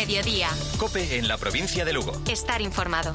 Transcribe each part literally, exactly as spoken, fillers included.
Mediodía. COPE en la provincia de Lugo. Estar informado.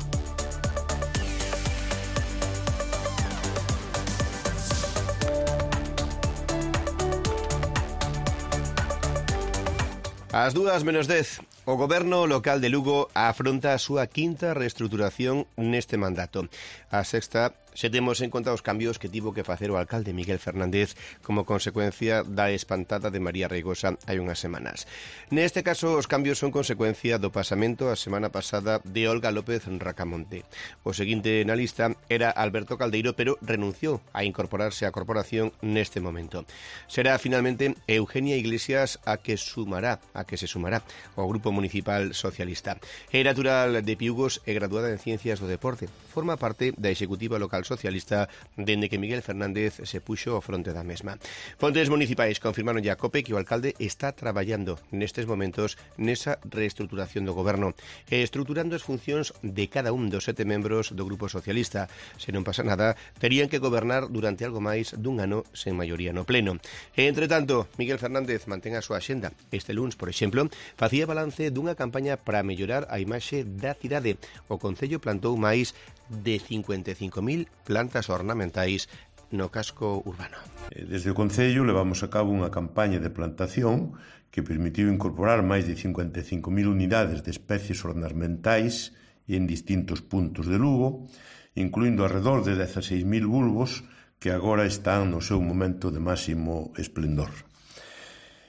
Ás dúas menos dez, o Goberno local de Lugo afronta a súa quinta reestruturación neste mandato. A sexta, se temos en conta os cambios que tivo que facer o alcalde Miguel Fernández como consecuencia da espantada de María Reigosa hai unhas semanas. Neste caso, os cambios son consecuencia do pasamento a semana pasada de Olga López Racamonte. O seguinte na lista era Alberto Caldeiro, pero renunciou a incorporarse á corporación neste momento. Será finalmente Eugenia Iglesias a que sumará, a que se sumará ao Grupo Municipal Socialista. É natural de Piugos e graduada en Ciencias do Deporte. Forma parte da Executiva Local Socialista dende que Miguel Fernández se puxo ao fronte da mesma. Fontes municipais confirmaron a COPE que o alcalde está traballando nestes momentos nesa reestruturación do goberno e estruturando as funcións de cada un dos sete membros do Grupo Socialista. Se non pasa nada, terían que gobernar durante algo máis dun ano sen maioría no pleno. E, entre tanto, Miguel Fernández mantén a súa axenda. Este luns, por exemplo, facía balance dunha campaña para mellorar a imaxe da cidade. O Concello plantou máis de cincuenta e cinco mil plantas ornamentais no casco urbano. Desde o Concello levamos a cabo unha campaña de plantación que permitiu incorporar máis de cincuenta e cinco mil unidades de especies ornamentais en distintos puntos de Lugo, incluindo alrededor de dezasseis mil bulbos que agora están no seu momento de máximo esplendor.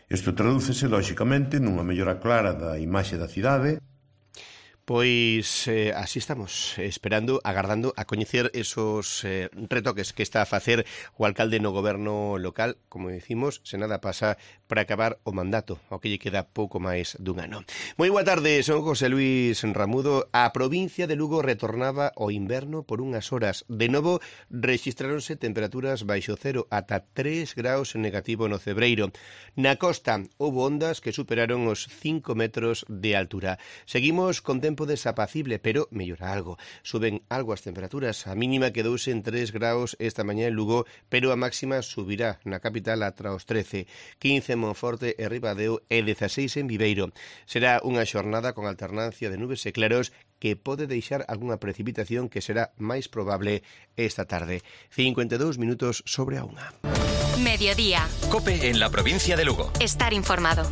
Isto tradúcese, lóxicamente, nunha mellora clara da imaxe da cidade. Pois eh, así estamos, esperando, agardando a coñecer esos eh, retoques que está a facer o alcalde no goberno local, como decimos, se nada pasa para acabar o mandato, ao que lle queda pouco máis dun ano. Moi boa tarde, son José Luis Ramudo. A provincia de Lugo retornaba ao inverno por unhas horas. De novo, rexistráronse temperaturas baixo cero, ata tres graus en negativo no Cebreiro. Na costa, houbo ondas que superaron os cinco metros de altura. Seguimos con tempo desapacible, pero mellora algo. Suben algo as temperaturas. A mínima quedouse en tres graus esta mañá en Lugo, pero a máxima subirá na capital atra os trece, quince en Monforte e Ribadeo e dezaseis en Viveiro. Será unha xornada con alternancia de nubes e claros que pode deixar algunha precipitación que será máis probable esta tarde. cincuenta e dous minutos sobre a unha. Mediodía. COPE en la provincia de Lugo. Estar informado.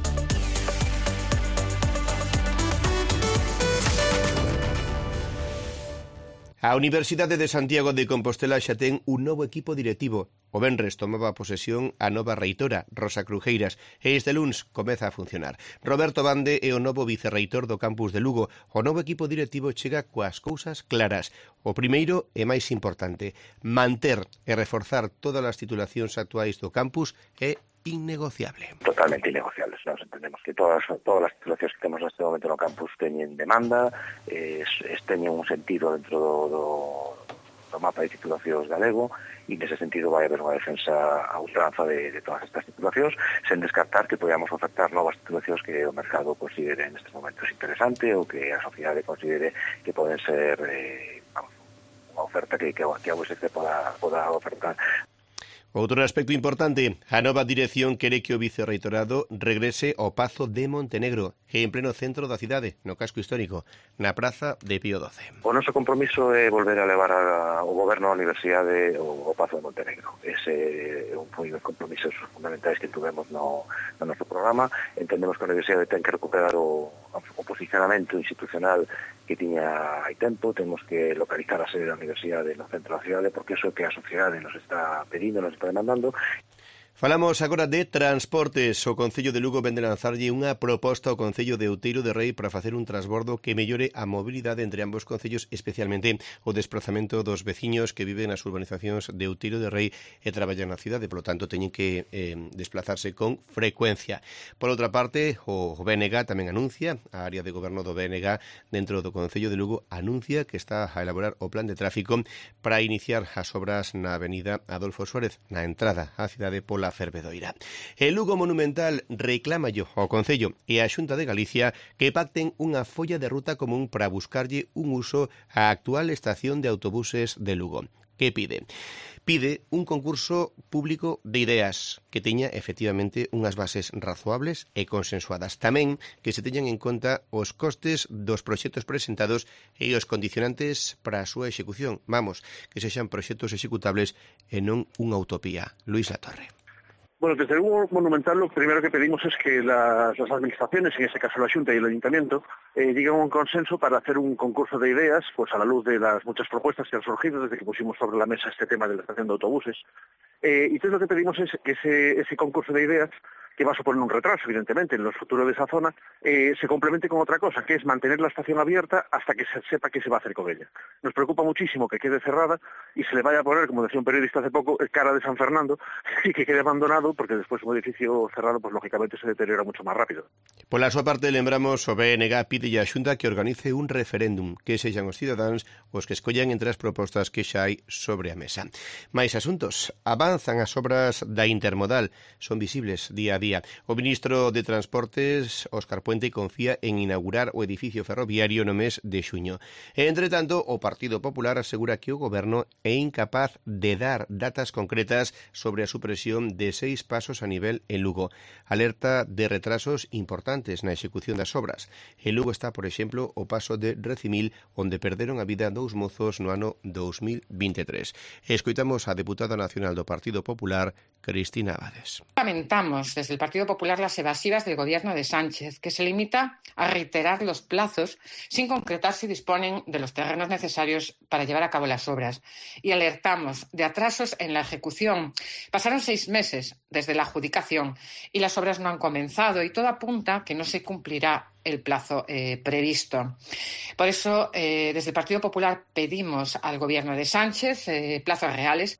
A Universidade de Santiago de Compostela xa ten un novo equipo directivo. O venres tomaba posesión a nova reitora, Rosa Crujeiras, e este luns comeza a funcionar. Roberto Bande é o novo vicerreitor do campus de Lugo. O novo equipo directivo chega coas cousas claras. O primeiro e máis importante, manter e reforzar todas as titulacións actuais do campus é innegociable. Totalmente innegociables. Nos entendemos que todas todas as titulacións que temos neste momento no campus teñen demanda, es, es teñen un sentido dentro do, do, do mapa de titulacións galego, e nese sentido vai haber unha defensa a ultranza de, de todas estas titulacións, sen descartar que podamos ofertar novas titulacións que o mercado considere nestes momentos interesante ou que a sociedade considere que poden ser eh, vamos, unha oferta que, que, que a U S C poda, poda ofertar. Outro aspecto importante, a nova dirección quere que o vicerreitorado regrese ao Pazo de Montenegro, que é en pleno centro da cidade, no casco histórico, na Praza de Pío doce. O noso compromiso é volver a levar ao goberno a universidade o Pazo de Montenegro. Ese é un dos compromisos fundamentais que tuvemos no, no noso programa. Entendemos que a universidade ten que recuperar o, o posicionamento institucional que tiña hai tempo. Temos que localizar a sede da universidade no centro da cidade, porque iso é que a sociedade nos está pedindo, nos está demandando. Falamos agora de transportes. O Concello de Lugo vende lanzarlle unha proposta ao Concello de Outeiro de Rei para facer un transbordo que mellore a mobilidade entre ambos concellos, especialmente o desplazamento dos veciños que viven nas urbanizacións de Outeiro de Rei e traballan na cidade, polo tanto teñen que eh, desplazarse con frecuencia. Por outra parte, o B N G tamén anuncia, a área de goberno do B N G dentro do Concello de Lugo anuncia que está a elaborar o plan de tráfico para iniciar as obras na avenida Adolfo Suárez, na entrada á cidade pola Fervedoira. El Lugo Monumental reclámallo ao Concello e a Xunta de Galicia que pacten unha folla de ruta común para buscarlle un uso á actual estación de autobuses de Lugo. Que pide? pide un concurso público de ideas que teña efectivamente unhas bases razoables e consensuadas. Tamén que se teñan en conta os costes dos proxectos presentados e os condicionantes para a súa execución. Vamos, que sexan proxectos executables e non unha utopía. Luis Latorre. Bueno, desde el Lugo Monumental lo primero que pedimos es que las, las administraciones, en este caso la Xunta y el Ayuntamiento, eh, lleguen a un consenso para hacer un concurso de ideas, pues a la luz de las muchas propuestas que han surgido desde que pusimos sobre la mesa este tema de la estación de autobuses. Eh, y entonces lo que pedimos es que ese, ese concurso de ideas, que va a suponer un retraso, evidentemente, en los futuros de esa zona, eh, se complemente con otra cosa, que es mantener la estación abierta hasta que se sepa qué se va a hacer con ella. Nos preocupa muchísimo que quede cerrada y se le vaya a poner, como decía un periodista hace poco, cara de San Fernando y que quede abandonado, porque después un edificio cerrado, pues lógicamente se deteriora mucho más rápido. Por la súa parte, lembramos o B N G pide a Xunta que organice un referéndum, que sexan os cidadáns os que escollan entre as propostas que xa hai sobre a mesa. Mais asuntos, avanzan as obras da intermodal, son visibles día a día. O ministro de Transportes, Óscar Puente, confía en inaugurar o edificio ferroviario no mes de xuño. E, entre tanto, o Partido Popular asegura que o goberno é incapaz de dar datas concretas sobre a supresión de seis pasos a nivel en Lugo. Alerta de retrasos importantes na execución das obras. En Lugo está, por exemplo, o paso de Recimil, onde perderon a vida dous mozos no ano dous mil vinte e tres. Escoitamos a deputada nacional do Partido Popular, Cristina Abades. Lamentamos desde el Partido Popular las evasivas del gobierno de Sánchez, que se limita a reiterar los plazos sin concretar si disponen de los terrenos necesarios para llevar a cabo las obras. Y alertamos de atrasos en la ejecución. Pasaron seis meses desde la adjudicación y las obras no han comenzado y todo apunta que no se cumplirá el plazo eh, previsto. Por eso, eh, desde el Partido Popular pedimos al gobierno de Sánchez eh, plazos reales.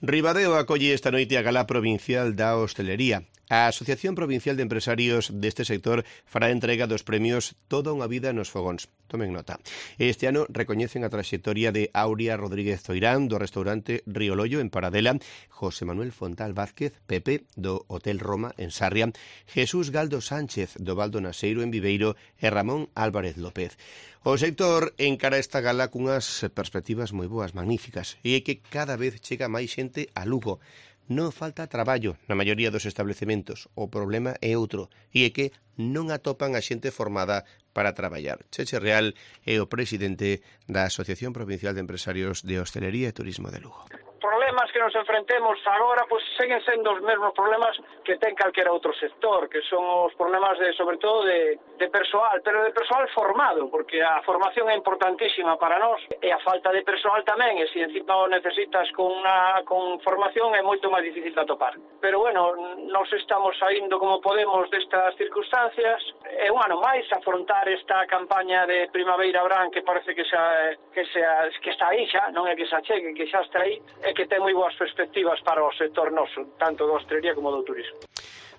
Ribadeo acolle esta noite a Gala Provincial da Hostelería. A Asociación Provincial de Empresarios deste sector fará entrega dos premios Toda unha vida nos fogóns. Tomen nota. Este ano recoñecen a traxectoria de Aurea Rodríguez Zoirán do restaurante Río Loio en Paradela, José Manuel Fontal Vázquez, Pepe, do Hotel Roma en Sarria, Jesús Galdo Sánchez, do Valdo Naseiro en Viveiro e Ramón Álvarez López. O sector encara esta gala cunhas perspectivas moi boas, magníficas, e é que cada vez chega máis xente a Lugo. Non falta traballo na maioría dos establecementos. O problema é outro, e é que non atopan a xente formada para traballar. Cheche Real é o presidente da Asociación Provincial de Empresarios de Hostelería e Turismo de Lugo. Problemas que nos enfrentemos agora, pois seguen sendo os mesmos problemas que ten calquera outro sector, que son os problemas de, sobre todo, de, de persoal, pero de persoal formado, porque a formación é importantísima para nós, e a falta de persoal tamén, e se encima o necesitas con, una, con formación é moito máis difícil de atopar. Pero, bueno, nos estamos saindo como podemos destas circunstancias, é un ano máis afrontar esta campaña de Primavera Verán que parece que xa, que, xa, que está aí xa, non é que xa chegue, que xa está aí, e que ten moi boas perspectivas para o sector noso, tanto da hostelería como do turismo.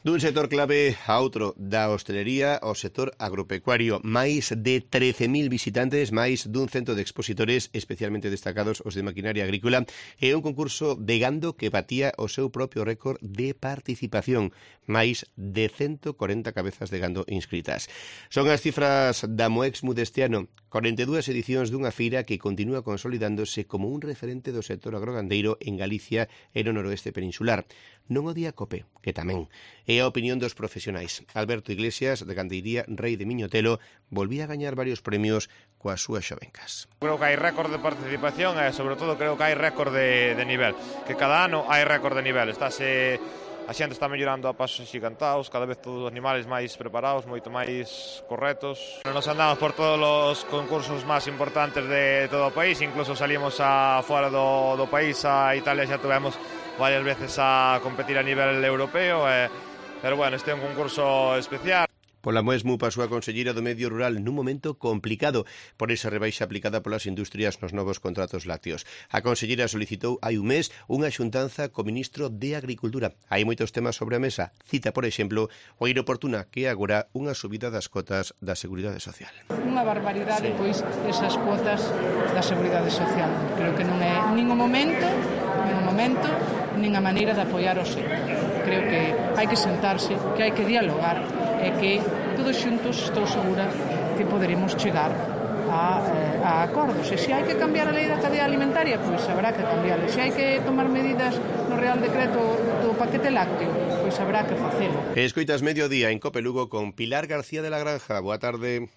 Dun sector clave a outro, da hostelería ao sector agropecuario. Máis de trece mil visitantes, máis dun cento de expositores, especialmente destacados os de maquinaria agrícola, e un concurso de gando que batía o seu propio récord de participación. Máis de ciento corenta cabezas de gando inscritas. Son as cifras da Moexmu deste ano, corenta e dúas edicións dunha feira que continúa consolidándose como un referente do sector agrogandeiro en Galicia e no noroeste peninsular. Non o día Cope, que tamén. É a opinión dos profesionais. Alberto Iglesias, de Gandeiría Rei de Miñotelo, volvía a gañar varios premios coas súas xovencas. Creo que hai récord de participación e, sobre todo, creo que hai récord de, de nivel. Que cada ano hai récord de nivel. Estáse... A xente está mellorando a pasos xigantaos, cada vez todos os animales máis preparados, moito máis correctos. Nos andamos por todos os concursos máis importantes de todo o país, incluso salimos a fora do, do país, a Italia xa tuvemos varias veces a competir a nivel europeo, eh, pero bueno, este é un concurso especial. Pola Moexmu pasou a conselleira do Medio Rural nun momento complicado por esa rebaixa aplicada polas industrias nos novos contratos lácteos. A conselleira solicitou hai un mes unha xuntanza co ministro de Agricultura. Hai moitos temas sobre a mesa. Cita, por exemplo, o inoportuna que é agora unha subida das cotas da Seguridade Social. Unha barbaridade, sí. Pois, esas cotas da Seguridade Social. Creo que non é nin o momento, nin o momento, nin a maneira de apoiar o sector. Creo que hai que sentarse, que hai que dialogar e que todos xuntos estou segura que poderemos chegar a a, eh, a acordos. E se hai que cambiar a lei da cadea alimentaria, pois habrá que cambiarla. Se hai que tomar medidas no Real Decreto do paquete lácteo, pois habrá que facelo. Escoitas Mediodía en Cope Lugo con Pilar García de la Granja. Boa tarde.